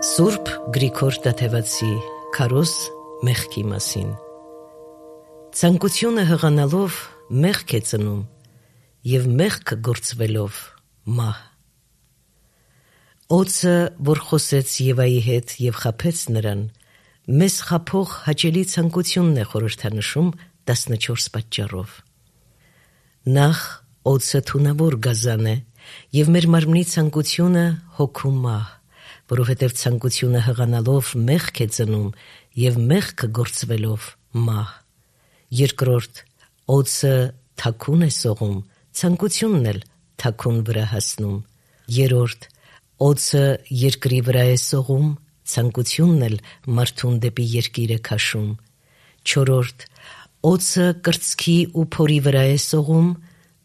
Սուրբ Գրիգոր Տաթևացի Քարոզ մեղքի մասին։ Ցանկությունը հղանալով մեղք է ծնում, և մեղքը գործվելով մահ։ Օձը, որ խոսեց Եվայի հետ և խաբեց նրան, մեզ խաբող հաճելի ցանկությունն է խորհրդանշում 14 պատճառով։ Նախ օձը թունավոր գազան է, և մեր մարմնի ցանկությունը հոգու մահ, որովհետև ցանկությունը հղանալով մեղք է ծնում, և մեղքը գործվելով մահ։ Երկրորդ, օձը թաքուն է սողում, ցանկությունն էլ թաքուն վրա հասնում։ Երրորդ, օձը երկրի վրա է սողում, ցանկությունն էլ մարդուն դեպի երկիր է քաշում։ Չորրորդ, օձը կրծքի ու փորի վրա է սողում,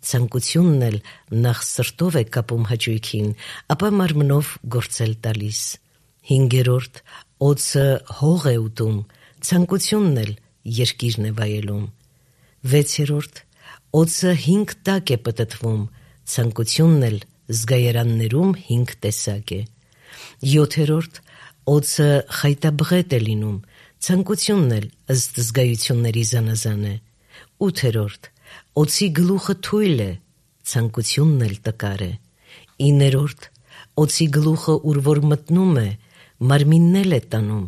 ցանկությունն էլ նախ սրտով է կապում հաճույքին, ապա մարմնով գործել տալիս։ Հինգերորդ, օձը հող է ուտում, ցանկությունն էլ երկիրն է վայելում։ Վեցերորդ, օձը 5 տակ է պտտվում, ցանկությունն էլ զգայարաններում 5 տեսակ է։ Յոթերորդ, օձը խայտաբղետ է լինում, ցանկությունն էլ ըստ զգայությունների զանազան է։ Ութերորդ, օձի գլուխը թույլ է, ցանկությունն էլ տկար է։ Իներորդ, օձի գլուխը ուր որ մտնում է, մարմինն էլ է տանում,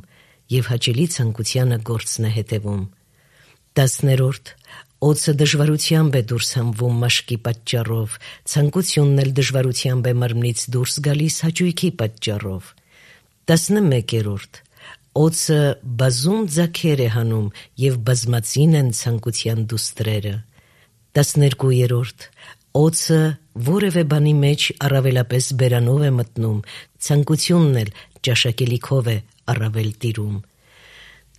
և հաճելի ցանկությանը գործն է հետևում։ 10-րդ, օձը դժվարությամբ է դուրս հանվում մաշկի պատճառով, ցանկությունն էլ դժվարությամբ է մարմնից դուրս գալիս հաճույքի պատճառով։ 11-րդ, օձը բազում ձագեր է հանում, և բազմածին են ցանկության դուստրերը։ 12-րդ, օձը որևէ բանի մեջ առավելապես բերանով է մտնում, ցանկությունն էլ ճաշակելիքով է առավել տիրում։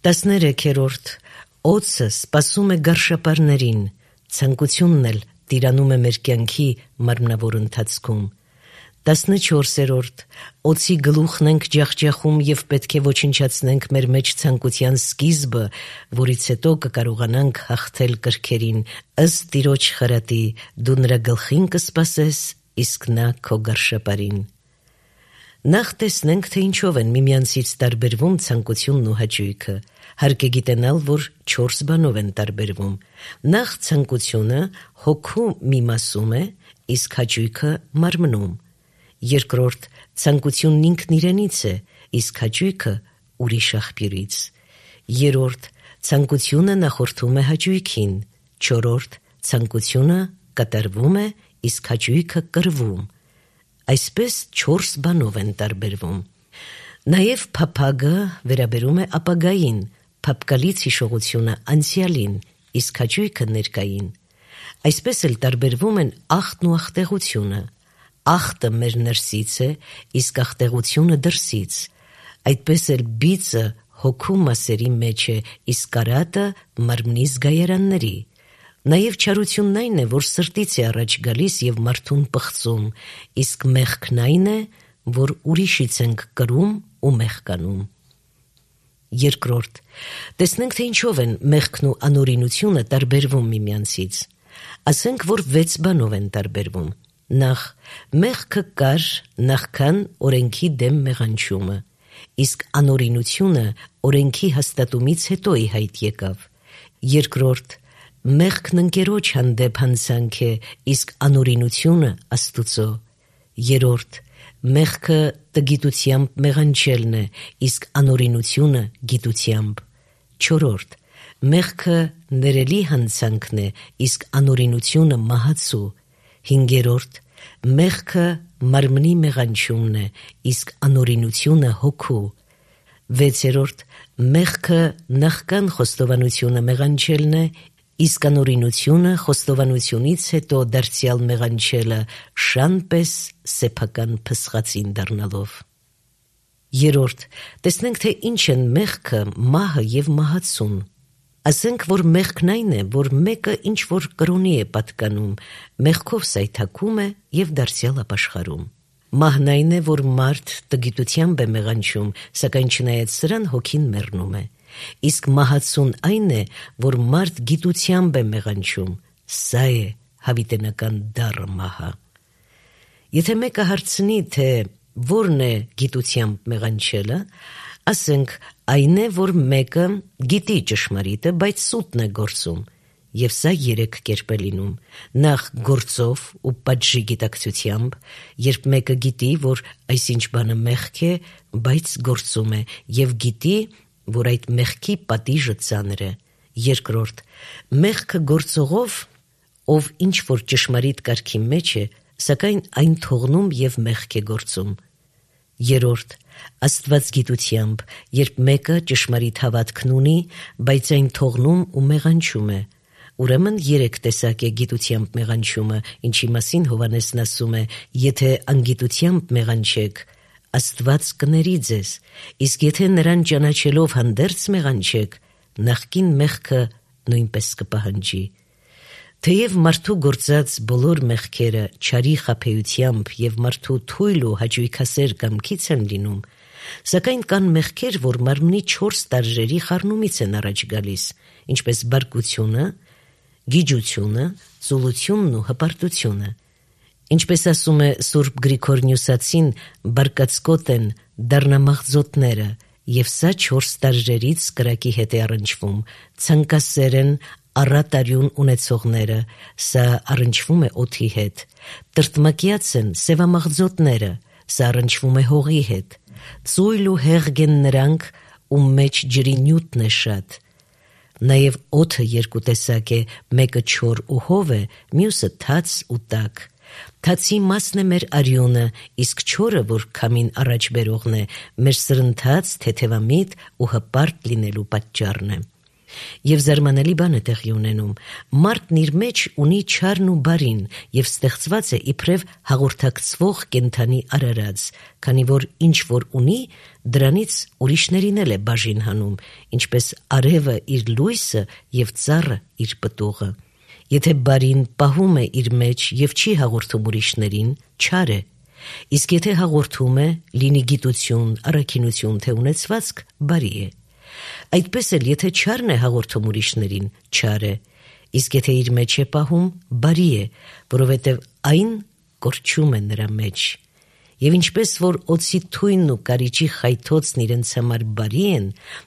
13-րդ, օձը սպասում է գարշապարներին, ցանկությունն էլ տիրանում է մեր կյանքի մարմնավոր ընթացքում։ 14-րդ, օձի գլուխն ենք ջախջախում և պետք է ոչնչացնենք մեր մեջ ցանկության սկիզբը, որից հետո կկարողանանք հաղթել կրքերին, ըստ Տիրոջ խրատի, դու նրա գլխին կսպասես, իսկ նա քո գարշապարին։ Նախ տեսնենք, թե ինչով են միմյանցից տարբերվում ցանկությունն ու հաճույքը։ Հարկ է գիտենալ, որ 4 բանով են տարբերվում։ Նախ ցանկությունը հոգու մի մասում է, իսկ հաճույքը մարմնում։ Երկրորդ, ցանկությունն ինքն իրենից է, իսկ հաճույքը ուրիշ աղբյուրից։ Երրորդ, ցանկությունը նախորդում է հաճույքին։ Չորրորդ, ցանկությունը կատարվում է, իսկ հաճույքը կրվում։ Այսպես 4 բանով են տարբերվում։ Նաև փափագը վերաբերում է ապագային, փափկալից հիշողությունը անցյալին, իսկ հաճույքը ներկային։ Այսպես էլ տարբերվում են ախտն ու ախտեղությունը։ Ախտը մեր ներսից է, իսկ ախտեղությունը դրսից։ Այդպես էլ բիծը հոգու մասերի մեջ է, իսկ կարատը մարմնի զգայարանների։ Նաև չարությունն այն է, որ սրտից է առաջ գալիս և մարդուն պղծում, իսկ մեղքն այն է, որ ուրիշից ենք կրում ու մեղկանում։ Երկրորդ, տեսնենք, թե ինչով են մեղքն ու անօրինությունը տարբերվում միմյանցից։ Ասենք, որ 6 բանով են տարբերվում։ Նախ, մեղքը կար նախքան օրենքի դեմ մեղանչումը, իսկ անօրինությունը օրենքի հաստատումից հետո ի հայտ եկավ։ Երկրորդ, մեղքն ընկերոջ հանդեպ հանցանք է, իսկ անօրինությունը Աստուծո։ Երրորդ, մեղքը տգիտությամբ մեղանչելն է, իսկ անօրինությունը գիտությամբ։ Չորրորդ, մեղքը ներելի հանցանքն է, իսկ անօրինությունը մահացու։ Հինգերորդ, մեղքը մարմնի մեղանչումն է, իսկ անօրինությունը հոգու։ Վեցերորդ, մեղքը նախքան խոստովանությունը մեղանչելն է, իսկ անօրինությունը խոստովանությունից հետո դարձյալ մեղանչելը, շան պես սեփական փսխածին դառնալով։ Երրորդ, տեսնենք, թե ինչ են մեղքը, մահը և մահացուն։ Ասենք, որ մեղքն այն է, որ մեկը ինչ-որ կրոնի է պատկանում, մեղքով սայթաքում է և դարձյալ ապաշխարում։ Մահն այն է, որ մարդ տգիտությամբ է մեղանչում, սակայն չնայած սրան հոգին մեռնում է։ Իսկ մահացուն այն է, որ մարդ գիտությամբ է մեղանչում, սա է հավիտենական դառը մահը։ Եթե մեկը հարցնի, թե Որն է գիտությամբ մեղանչելը, ասենք այն է, որ մեկը գիտի ճշմարիտը, բայց սուտն է գործում, եւ սա 3 կերպ է լինում. նախ գործով ու պատժի գիտակցությամբ, երբ մեկը գիտի, որ այսինչ բանը մեղք է, բայց գործում է, եւ գիտի, որ այդ մեղքի պատիժը ծանր է. երկրորդ, մեղքը գործողով, ով ինչ որ ճշմարիտ կարգի մեջ է, սակայն այն թողնում եւ մեղք է գործում. երրորդ, աստվածգիտությամբ, երբ մեկը ճշմարիտ հավատքն ունի, բայց այն թողնում ու մեղանչում է. Ուրեմն 3 տեսակ է գիտությամբ մեղանչումը, ինչի մասին Հովհաննեսն ասում է. եթե անգիտությամբ մեղանչեք, Աստված կների ձեզ, իսկ եթե նրան ճանաչելով հանդերձ մեղանչեք, նախկին մեղքը նույնպես կպահանջի. թեև մարդու գործած բոլոր մեղքերը չարի խաբեությամբ եւ մարդու թույլ ու հաճույքասեր կամքից են լինում, սակայն կան մեղքեր, որ մարմնի 4 տարրերի խառնումից են առաջ գալիս, ինչպես բարկությունը, գիջությունը, ծուլությունն ու հպարտությունը. ինչպես ասում է Սուրբ Գրիգոր Նյուսացին, բարկացկոտ են դառնամաղձոտները, եւ սա 4 տարրերից կրակի հետ է առնչվում, ցանկասեր են առատ արյուն ունեցողները, սա առնչվում է օդի հետ, տրտմակյաց են սևամաղձոտները, սա առնչվում է հողի հետ, ծույլ ու հեղգ են նրանք, ում մեջ ջրի նյութն է շատ. Նաև օդը 2 տեսակ է, մեկը չոր ու հով է, մյուսը թաց ու տաք. Թացի մասն է մեր արյունը, իսկ չորը, որ քամին առաջ բերողն է, մեր սրընթաց, թեթևամիտ ու հպարտ լինելու պատճառն է. Եվ զարմանալի բան է տեղի ունենում. մարդն իր մեջ ունի չարն ու բարին եւ ստեղծված է իբրև հաղորդակցվող կենդանի արարած, քանի որ ինչ որ ունի, դրանից ուրիշներին էլ է բաժին հանում, ինչպես արևը իր լույսը եւ ծառը իր պտուղը. եթե բարին պահում է իր մեջ եւ չի հաղորդում ուրիշներին, չար է, իսկ եթե հաղորդում է, լինի գիտություն, առաքինություն, թե ունեցվածք, բարի է. Այդպես էլ եթե չարն է հաղորդում ուրիշներին, չար է, իսկ եթե իր մեջ է պահում, բարի է, որովհետև այն կորչում է նրա մեջ. Եվ ինչպես որ օձի թույնն ու կարիճի խայթոցն իրենց համար բարի են,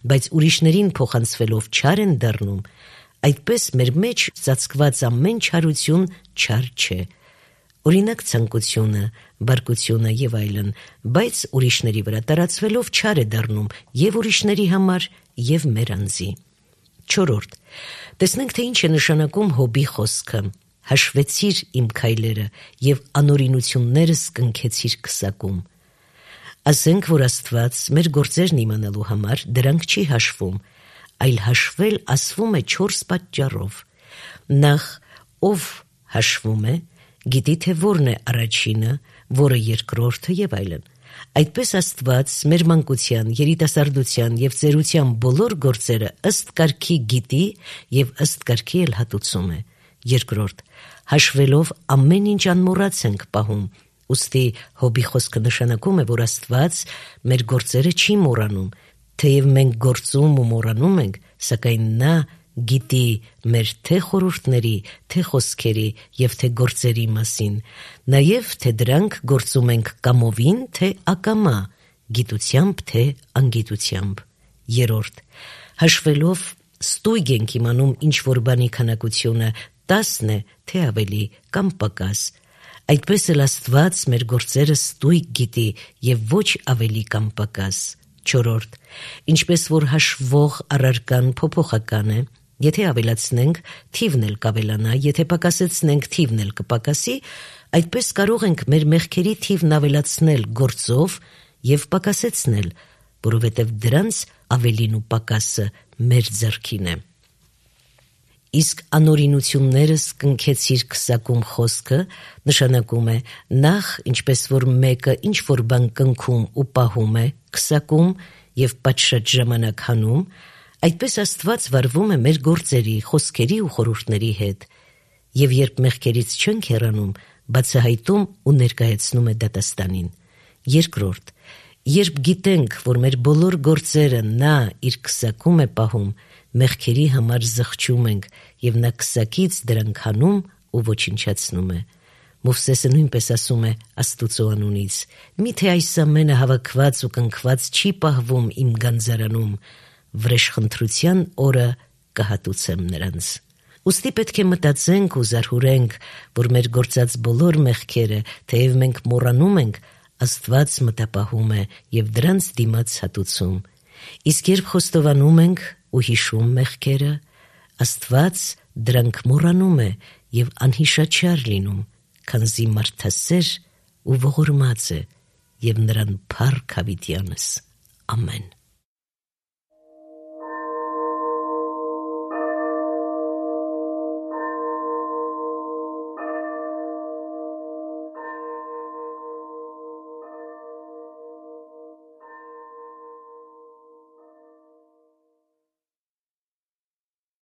բայց ուրիշներին փոխանցվելով չար են դառնում, այդպես մեր մեջ ծածկված ամեն չարություն չար չէ. Օրինակ ցանկությունը, բարկությունը եւ այլն, բայց ուրիշների վրա տարածվելով չար է դառնում եւ ուրիշների համար եւ մեր անձի։ 4. Տեսնենք, թե ինչ է նշանակում Հոբի խոսքը. հաշվեցիր իմ քայլերը եւ անօրինություններս կնքեցիր քսակում։ Ասենք, որ Աստված մեր գործերն իմանալու համար դրանք չի հաշվում, այլ հաշվել ասվում է 4 պատճառով. նախ, ով հաշվում է, գիտի թե որն է առաջինը, որը երկրորդը եւ այլն. այդպես Աստված մեր մանկության, երիտասարդության եւ ծերության բոլոր գործերը ըստ կարգի գիտի եւ ըստ կարգի էլ հատուցում է. երկրորդ, հաշվելով ամեն ինչ անմոռաց ենք պահում, ուստի Հոբի խոսքը նշանակում է, որ Աստված մեր գործերը չի մոռանում, թեև մենք գործում ու մոռանում ենք, սակայն նա գիտի մեր թե խորհուրդների, թե խոսքերի եւ թե գործերի մասին, նաեւ թե դրանք գործում ենք կամովին, թե ակամա, գիտությամբ, թե անգիտությամբ։ Երրորդ, հաշվելով ստույգ ենք իմանում ինչ որ բանի քանակությունը 10 է, թե ավելի կամ պակաս։ Այդպես էլ Աստված մեր գործերը ստույգ գիտի եւ ոչ ավելի կամ պակաս։ 4. Ինչպես որ հաշվող առարկան փոփոխական է, եթե ավելացնենք, թիվն էլ կավելանա, եթե պակասեցնենք, թիվն էլ կպակասի, այդպես կարող ենք մեր մեղքերի թիվն ավելացնել գործով եւ պակասեցնել, որովհետեւ դրանց ավելին ու պակասը մեր ձեռքին է։ Իսկ անօրինություններս կնքեցիր քսակում խոսքը նշանակում է նախ, ինչպես որ մեկը ինչ որ բան կնքում ու պահում է, քսակում եւ պատշաճ ժամանակ հանում, այդպես Աստված վարվում է մեր գործերի, խոսքերի ու խորհուրդների հետ, եւ երբ մեղքերից չենք հեռանում, բացահայտում ու ներկայացնում է դատաստանին։ Երկրորդ, երբ գիտենք, որ մեր բոլոր գործերը նա իր քսակում է պահում, մեղքերի համար զղջում ենք եւ նա քսակից դրանք հանում ու ոչնչացնում է։ Մովսեսը նույնպես ասում է Աստուծո անունից. «Միթե այս ամենը հավաքված ու կնքված չի պահվում իմ գանձարանում, վրեժխնդրության օրը կհատուցեմ նրանց»։ Ուստի պետք է մտածենք ու զարհուրենք, որ մեր գործած բոլոր մեղքերը, թեև մենք մոռանում ենք, Աստված մտապահում է և դրանց դիմաց հատուցում։ Իսկ երբ խոստովանում ենք ու հիշում մեղքերը, Աստված դրանք մոռանում է և անհիշաչար լինում, քանզի մարդասեր ու ողորմած է, և նրան փառք հավիտյանս։ Ամեն։